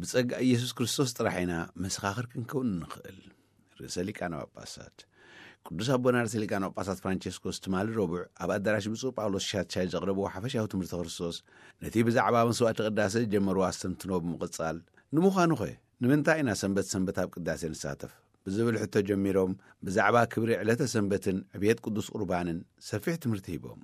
ብጸጋ ኢየሱስ ክርስቶስ ጥራሕ ኢና መሰኻኽር ክንከውን እንኽእል። ርእሰ ሊቃነ ጳጳሳት ቅዱስ ኣቦና ርእሰ ሊቃነ ጳጳሳት ፍራንቸስኮስ ትማሊ ረቡዕ ኣብ ኣዳራሽ ብፁዕ ጳውሎስ ሻትሻይ ዘቕረብዎ ሓፈሻዊ ትምህርቲ ክርስቶስ፣ ነቲ ብዛዕባ መስዋዕቲ ቅዳሴ ዝጀመርዎ ኣስተንትኖ ብምቕጻል፣ ንምዃኑኸ ንምንታይ ኢና ሰንበት ሰንበት ኣብ ቅዳሴ ንሳተፍ? ብዝብል ሕቶ ጀሚሮም፣ ብዛዕባ ክብሪ ዕለተ ሰንበትን ዕብየት ቅዱስ ቁርባንን ሰፊሕ ትምህርቲ ሂቦም።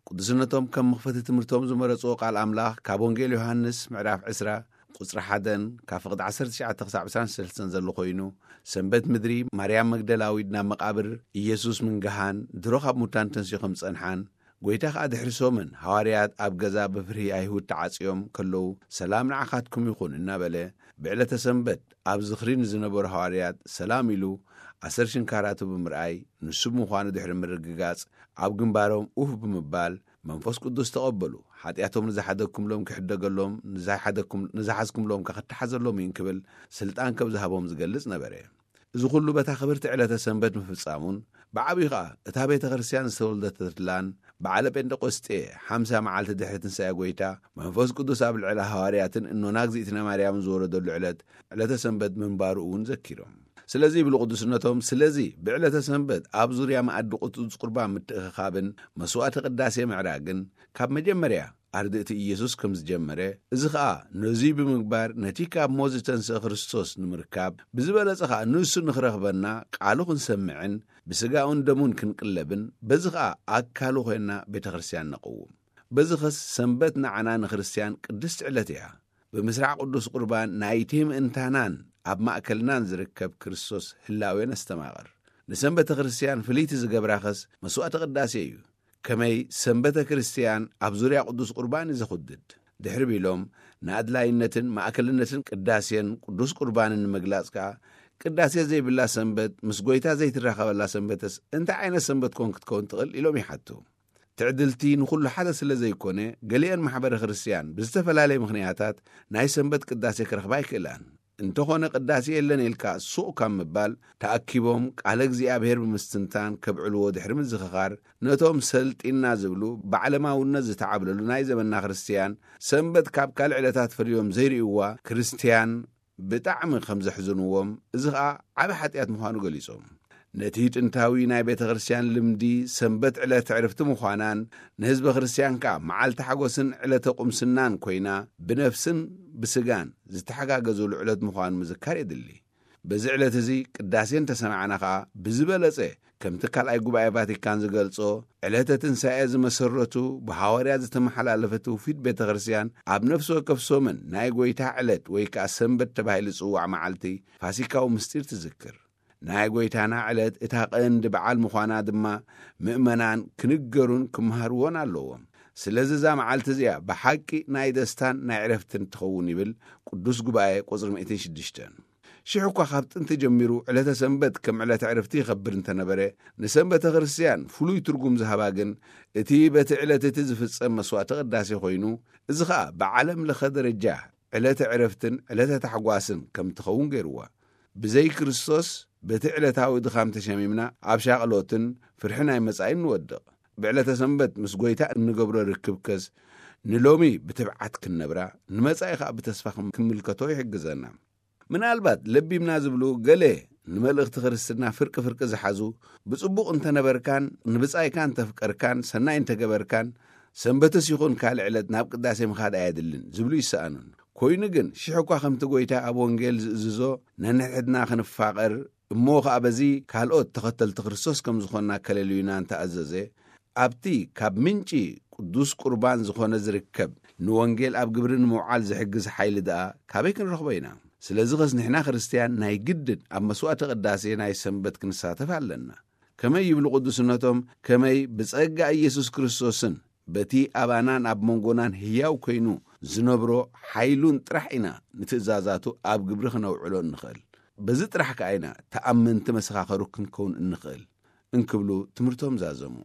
ቅዱስነቶም ከም መኽፈቲ ትምህርቶም ዝመረጽዎ ቃል ኣምላኽ ካብ ወንጌል ዮሃንስ ምዕራፍ ዕስራ ቁጽሪ ሓደን ካብ ፍቕዲ ዓሰርተ ትሽዓተ ክሳብ ዕስራን ሰለስተን ዘሎ ኮይኑ፣ ሰንበት ምድሪ ማርያም መግደላዊት ናብ መቓብር ኢየሱስ ምንግሃን ድሮ ካብ ሙታን ተንሲኡ ከም ዝጸንሓን፣ ጎይታ ከኣ ድሕሪ ሶምን ሃዋርያት ኣብ ገዛ ብፍርሂ ኣይሁድ ተዓጽዮም ከለዉ፣ "ሰላም ንዓኻትኩም ይኹን" እናበለ፣ ብዕለተ ሰንበት ኣብ ዝኽሪ ንዝነበሩ ሃዋርያት ሰላም ኢሉ ኣሰር ሽንካራቱ ብምርኣይ፣ ንሱ ብምዃኑ ድሕሪ ምርግጋጽ፣ ኣብ ግንባሮም ኡፍ ብምባል መንፈስ ቅዱስ ተቐበሉ። ሓጢኣቶም ንዝሓደግኩምሎም ክሕደገሎም፣ ንዝሓደግኩም-፣ ንዝሓዝኩምሎም ከ ክተሓዘሎም እዩ እንክብል ስልጣን ከም ዝሃቦም ዝገልጽ ነበረ። እዚ ኩሉ በታ ክብርቲ ዕለተ ሰንበት ምፍጻሙን፣ ብዓብዩ ኸኣ እታ ቤተ ክርስቲያን ዝተወልደተትላን በዓለ ጴንጠቆስጤ ሓምሳ መዓልቲ ድሕሪ ትንሳኤ ጎይታ መንፈስ ቅዱስ ኣብ ልዕሊ ሃዋርያትን እኖና እግዚኣብትና ማርያምን ዝወረደሉ ዕለት፣ ዕለተ ሰንበት ምንባሩ እውን ዘኪሮም። ስለዚ ይብሉ ቅዱስነቶም፣ ስለዚ ብዕለተ ሰንበት ኣብ ዙርያ መኣዲ ቅዱስ ቁርባን ምትእኽኻብን መስዋዕቲ ቅዳሴ ምዕራግን ካብ መጀመርያ ኣርድእቲ ኢየሱስ ከም ዝጀመረ፣ እዚ ኸኣ ነዙይ ብምግባር ነቲ ካብ ሞት ዝተንስአ ክርስቶስ ንምርካብ፣ ብዝበለጸ ኸኣ ንሱ ንኽረኽበና ቃሉ ክንሰምዕን ብስጋኡን ደሙን ክንቅለብን፣ በዚ ኸኣ ኣካሉ ኾይንና ቤተ ክርስቲያን ነቕውም። በዚ ኸስ ሰንበት ንዓና ንክርስትያን ቅድስቲ ዕለት እያ። ብምስራዕ ቅዱስ ቁርባን ናይቲ ምእንታናን ኣብ ማእከልናን ዝርከብ ክርስቶስ ህላዌ ነስተማቕር። ንሰንበተ ክርስትያን ፍልይቲ ዝገብራ ኸስ መስዋዕተ ቅዳሴ እዩ። ከመይ ሰንበተ ክርስትያን ኣብ ዙርያ ቅዱስ ቁርባን እዩ ዘኹድድ። ድሕሪ ቢሎም ንኣድላይነትን ማእከልነትን ቅዳሴን ቅዱስ ቁርባንን ንምግላጽ ከኣ፣ ቅዳሴ ዘይብላ ሰንበት ምስ ጎይታ ዘይትራኸበላ ሰንበትስ እንታይ ዓይነት ሰንበት ኮን ክትከውን ትኽእል? ኢሎም ይሓቱ። ትዕድልቲ ንኹሉ ሓደ ስለ ዘይኮነ፣ ገሊአን ማሕበረ ክርስትያን ብዝተፈላለየ ምኽንያታት ናይ ሰንበት ቅዳሴ ክረኽባ ኣይክእላን። እንተኾነ ቅዳሴ የለን ኢልካ ሱቕ ካብ ምባል፣ ተኣኪቦም ቃለ እግዚኣብሔር ብምስትንታን ከብዕልዎ ድሕሪ ምዝኽኻር፣ ነቶም ሰልጢና ዝብሉ ብዓለማውነት ዝተዓብለሉ ናይ ዘመንና ክርስትያን፣ ሰንበት ካብ ካልእ ዕለታት ፈልዮም ዘይርእይዋ ክርስትያን ብጣዕሚ ከም ዘሕዝንዎም፣ እዚ ኸኣ ዓቢ ሓጢኣት ምዃኑ ገሊጾም። ነቲ ጥንታዊ ናይ ቤተ ክርስትያን ልምዲ ሰንበት ዕለት ዕርፍቲ ምዃናን፣ ንህዝበ ክርስትያን ከኣ መዓልቲ ሓጎስን ዕለተ ቁምስናን ኮይና፣ ብነፍስን ብስጋን ዝተሓጋገዙሉ ዕለት ምዃኑ ምዝካር የድሊ። በዚ ዕለት እዚ ቅዳሴ እንተሰማዕና ኸኣ፣ ብዝበለጸ ከምቲ ካልኣይ ጉባኤ ቫቲካን ዝገልጾ፣ ዕለተ ትንሳኤ ዝመሰረቱ ብሃዋርያት ዝተመሓላለፈ ትውፊት ቤተ ክርስትያን፣ ኣብ ነፍሲ ወከፍ ሶምን ናይ ጎይታ ዕለት ወይ ከኣ ሰንበት ተባሂሉ ዝጽዋዕ መዓልቲ ፋሲካዊ ምስጢር ትዝክር። ናይ ጎይታና ዕለት እታ ቀንዲ በዓል ምዃና ድማ ምእመናን ክንገሩን ክመሃርዎን ኣለዎም። ስለዚ እዛ መዓልቲ እዚኣ ብሓቂ ናይ ደስታን ናይ ዕረፍትን ትኸውን ይብል ቅዱስ ጉባኤ ቁጽሪ ሚእትን ሽዱሽተን። ሽሕ እኳ ካብ ጥንቲ ጀሚሩ ዕለተ ሰንበት ከም ዕለተ ዕረፍቲ ይኸብር እንተነበረ፣ ንሰንበተ ክርስትያን ፍሉይ ትርጉም ዝሃባ ግን እቲ በቲ ዕለት እቲ ዝፍጸም መስዋዕተ ቅዳሴ ኮይኑ፣ እዚ ኸኣ ብዓለም ለኸ ደረጃ ዕለተ ዕረፍትን ዕለተ ታሕጓስን ከም ትኸውን ገይርዋ። ብዘይ ክርስቶስ በቲ ዕለታዊ ድኻም ተሸሚምና ኣብ ሻቕሎትን ፍርሒ ናይ መጻኢን ንወድቕ። ብዕለተ ሰንበት ምስ ጎይታ እንገብሮ ርክብ ከስ ንሎሚ ብትብዓት ክንነብራ፣ ንመጻኢ ኸኣ ብተስፋ ክም-፣ ክንምልከቶ ይሕግዘና። ምናልባት ለቢምና ዝብሉ ገለ ንመልእኽቲ ክርስትና ፍርቂ ፍርቂ ዝሓዙ፣ ብጽቡቕ እንተነበርካን ንብጻይካ እንተፍቀርካን ሰናይ እንተገበርካን፣ ሰንበትስ ይኹን ካልእ ዕለት ናብ ቅዳሴ ምኻድ ኣየድልን ዝብሉ ይሰኣኑን። ኮይኑ ግን፣ ሽሕ እኳ ከምቲ ጎይታ ኣብ ወንጌል ዝእዝዞ፣ ነንሕድሕድና ክንፋቐር፣ እሞ ኸኣ በዚ ካልኦት ተኸተልቲ ክርስቶስ ከም ዝኾንና ከለልዩና እንተኣዘዘ፣ ኣብቲ ካብ ምንጪ ቅዱስ ቁርባን ዝኾነ ዝርከብ ንወንጌል ኣብ ግብሪ ንምውዓል ዝሕግዝ ሓይሊ ደኣ ካበይ ክንረኽቦ ኢና? ስለዚ ኸስ ንሕና ክርስትያን ናይ ግድን ኣብ መስዋዕተ ቅዳሴ ናይ ሰንበት ክንሳተፍ ኣለና። ከመይ ይብሉ ቅዱስነቶም፣ ከመይ ብጸጋ ኢየሱስ ክርስቶስን በቲ ኣባናን ኣብ መንጎናን ህያው ኮይኑ ዝነብሮ ሓይሉን ጥራሕ ኢና ንትእዛዛቱ ኣብ ግብሪ ክነውዕሎ እንኽእል። በዚ ጥራሕ ከኣ ኢና ተኣመንቲ መሰኻኸሩ ክንከውን እንኽእል እንክብሉ ትምህርቶም ዛዘሙ።